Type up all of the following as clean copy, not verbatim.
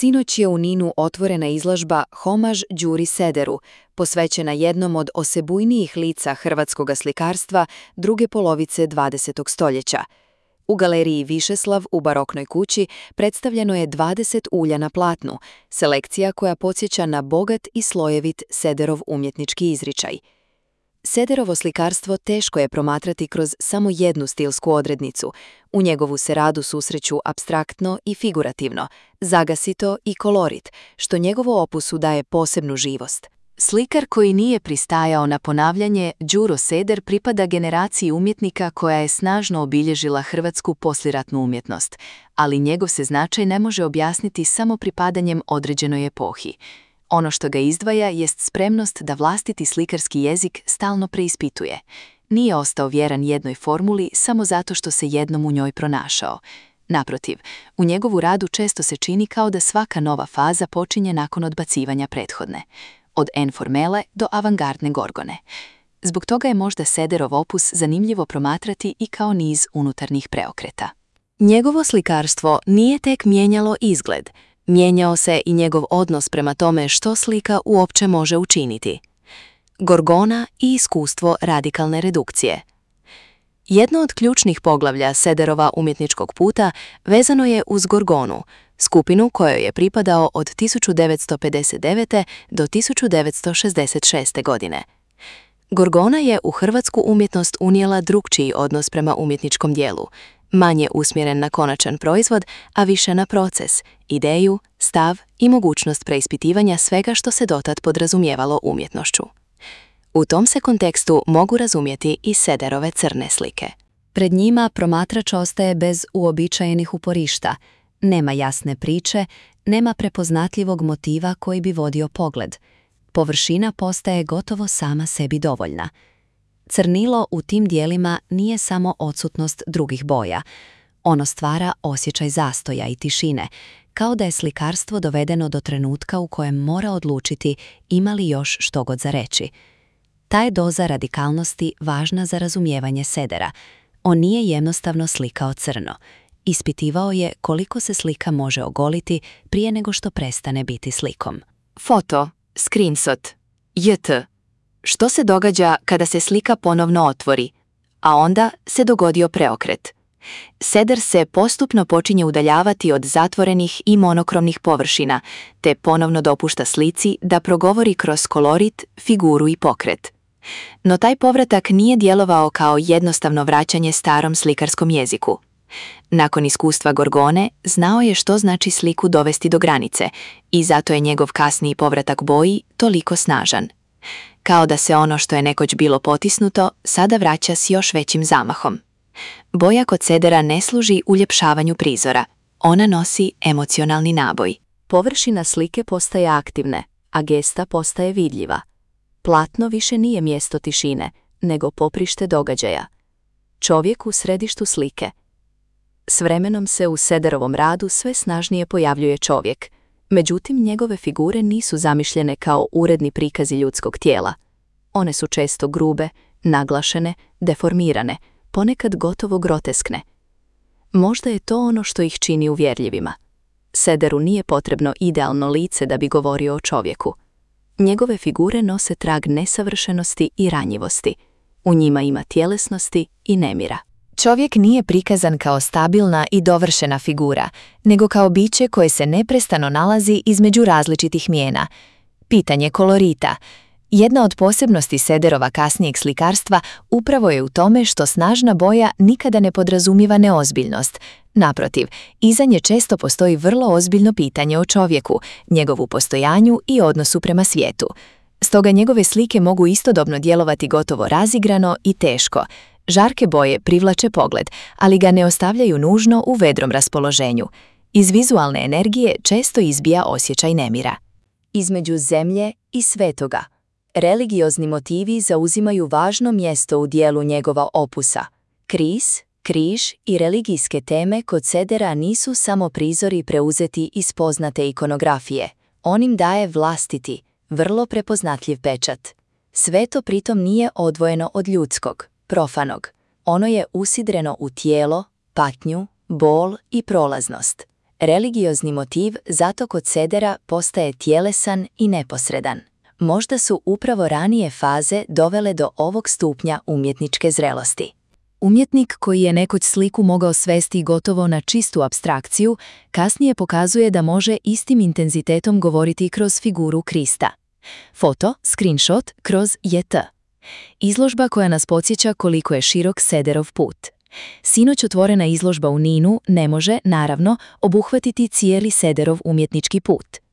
Sinoć je u Ninu otvorena izložba Homaž Đuri Sederu, posvećena jednom od osebujnijih lica hrvatskog slikarstva druge polovice 20. stoljeća. U galeriji Višeslav u Baroknoj kući predstavljeno je 20 ulja na platnu, selekcija koja podsjeća na bogat i slojevit Sederov umjetnički izričaj. Sederovo slikarstvo teško je promatrati kroz samo jednu stilsku odrednicu. U njegovu se radu susreću apstraktno i figurativno, zagasito i kolorit, što njegovo opusu daje posebnu živost. Slikar koji nije pristajao na ponavljanje, Đuro Seder pripada generaciji umjetnika koja je snažno obilježila hrvatsku posliratnu umjetnost, ali njegov se značaj ne može objasniti samo pripadanjem određenoj epohi. Ono što ga izdvaja jest spremnost da vlastiti slikarski jezik stalno preispituje. Nije ostao vjeran jednoj formuli samo zato što se jednom u njoj pronašao. Naprotiv, u njegovu radu često se čini kao da svaka nova faza počinje nakon odbacivanja prethodne. Od informele do avangardne gorgone. Zbog toga je možda Sederov opus zanimljivo promatrati i kao niz unutarnjih preokreta. Njegovo slikarstvo nije tek mijenjalo izgled, mijenjao se i njegov odnos prema tome što slika uopće može učiniti. Gorgona i iskustvo radikalne redukcije. Jedno od ključnih poglavlja Sederova umjetničkog puta vezano je uz Gorgonu, skupinu kojoj je pripadao od 1959. do 1966. godine. Gorgona je u hrvatsku umjetnost unijela drukčiji odnos prema umjetničkom dijelu, manje usmjeren na konačan proizvod, a više na proces, ideju, stav i mogućnost preispitivanja svega što se dotad podrazumijevalo umjetnošću. U tom se kontekstu mogu razumjeti i Sederove crne slike. Pred njima promatrač ostaje bez uobičajenih uporišta, nema jasne priče, nema prepoznatljivog motiva koji bi vodio pogled. Površina postaje gotovo sama sebi dovoljna. Crnilo u tim dijelima nije samo odsutnost drugih boja. Ono stvara osjećaj zastoja i tišine, kao da je slikarstvo dovedeno do trenutka u kojem mora odlučiti ima li još što god za reći. Ta je doza radikalnosti važna za razumijevanje Sedera. On nije jednostavno slikao crno. Ispitivao je koliko se slika može ogoliti prije nego što prestane biti slikom. Foto, screenshot, JT. Što se događa kada se slika ponovno otvori, a onda se dogodio preokret? Seder se postupno počinje udaljavati od zatvorenih i monokromnih površina, te ponovno dopušta slici da progovori kroz kolorit, figuru i pokret. No taj povratak nije djelovao kao jednostavno vraćanje starom slikarskom jeziku. Nakon iskustva Gorgone, znao je što znači sliku dovesti do granice i zato je njegov kasniji povratak boji toliko snažan. Kao da se ono što je nekoć bilo potisnuto, sada vraća s još većim zamahom. Boja kod Sedera ne služi uljepšavanju prizora, ona nosi emocionalni naboj. Površina slike postaje aktivne, a gesta postaje vidljiva. Platno više nije mjesto tišine, nego poprište događaja. Čovjek u središtu slike. S vremenom se u Sederovom radu sve snažnije pojavljuje čovjek, međutim njegove figure nisu zamišljene kao uredni prikazi ljudskog tijela. One su često grube, naglašene, deformirane, ponekad gotovo groteskne. Možda je to ono što ih čini uvjerljivima. Sederu nije potrebno idealno lice da bi govorio o čovjeku. Njegove figure nose trag nesavršenosti i ranjivosti. U njima ima tjelesnosti i nemira. Čovjek nije prikazan kao stabilna i dovršena figura, nego kao biće koje se neprestano nalazi između različitih mijena. Pitanje kolorita. Jedna od posebnosti Sederova kasnijeg slikarstva upravo je u tome što snažna boja nikada ne podrazumijeva neozbiljnost. Naprotiv, iza nje često postoji vrlo ozbiljno pitanje o čovjeku, njegovu postojanju i odnosu prema svijetu. Stoga njegove slike mogu istodobno djelovati gotovo razigrano i teško. Žarke boje privlače pogled, ali ga ne ostavljaju nužno u vedrom raspoloženju. Iz vizualne energije često izbija osjećaj nemira. Između zemlje i svetoga. Religiozni motivi zauzimaju važno mjesto u dijelu njegova opusa. Križ i religijske teme kod Sedera nisu samo prizori preuzeti iz poznate ikonografije. On im daje vlastiti, vrlo prepoznatljiv pečat. Sve to pritom nije odvojeno od ljudskog, profanog. Ono je usidreno u tijelo, patnju, bol i prolaznost. Religiozni motiv zato kod Sedera postaje tjelesan i neposredan. Možda su upravo ranije faze dovele do ovog stupnja umjetničke zrelosti. Umjetnik koji je nekoć sliku mogao svesti gotovo na čistu apstrakciju, kasnije pokazuje da može istim intenzitetom govoriti kroz figuru Krista. Foto, screenshot, kroz JT. Izložba koja nas podsjeća koliko je širok Sederov put. Sinoć otvorena izložba u Ninu ne može, naravno, obuhvatiti cijeli Sederov umjetnički put.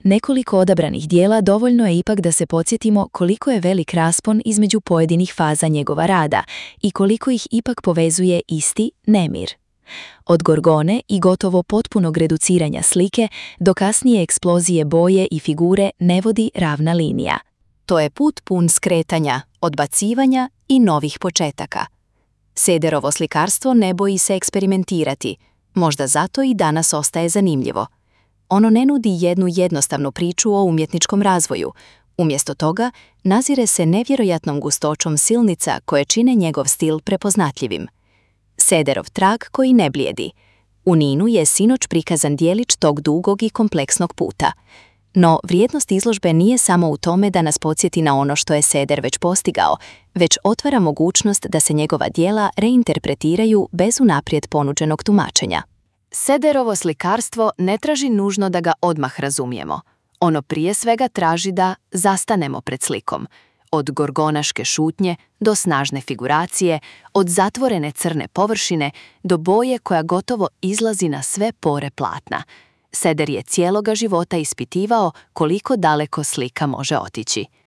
Nekoliko odabranih dijela dovoljno je ipak da se podsjetimo koliko je velik raspon između pojedinih faza njegova rada i koliko ih ipak povezuje isti nemir. Od Gorgone i gotovo potpunog reduciranja slike do kasnije eksplozije boje i figure ne vodi ravna linija. To je put pun skretanja, odbacivanja i novih početaka. Sederovo slikarstvo ne boji se eksperimentirati, možda zato i danas ostaje zanimljivo. Ono ne nudi jednu jednostavnu priču o umjetničkom razvoju. Umjesto toga, nazire se nevjerojatnom gustoćom silnica koje čine njegov stil prepoznatljivim. Sederov trag koji ne blijedi. U Ninu je sinoć prikazan dijelić tog dugog i kompleksnog puta. No, vrijednost izložbe nije samo u tome da nas podsjeti na ono što je Seder već postigao, već otvara mogućnost da se njegova djela reinterpretiraju bez unaprijed ponuđenog tumačenja. Sederovo slikarstvo ne traži nužno da ga odmah razumijemo. Ono prije svega traži da zastanemo pred slikom. Od gorgonaške šutnje do snažne figuracije, od zatvorene crne površine do boje koja gotovo izlazi na sve pore platna. Seder je cijeloga života ispitivao koliko daleko slika može otići.